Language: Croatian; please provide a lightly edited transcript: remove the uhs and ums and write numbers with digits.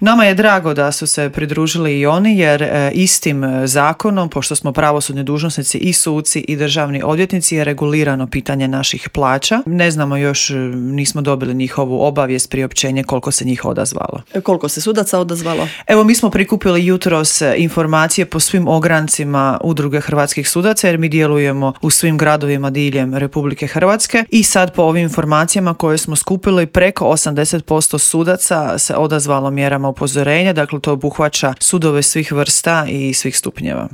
Nama je drago da su se pridružili i oni jer istim zakonom, pošto smo pravosudni dužnosnici i suci i državni odvjetnici, je regulirano pitanje naših plaća. Ne znamo još, nismo dobili njihovu obavijest, priopćenje koliko se njih odazvalo. Koliko se sudaca odazvalo? Evo, mi smo prikupili jutros informacije po svim ograncima Udruge hrvatskih sudaca jer mi djelujemo u svim gradovima diljem Republike Hrvatske i sad po ovim informacijama koje smo skupili preko 80% sudaca se odazvalo mjerama upozorenja, dakle to obuhvaća sudove svih vrsta i svih stupnjeva.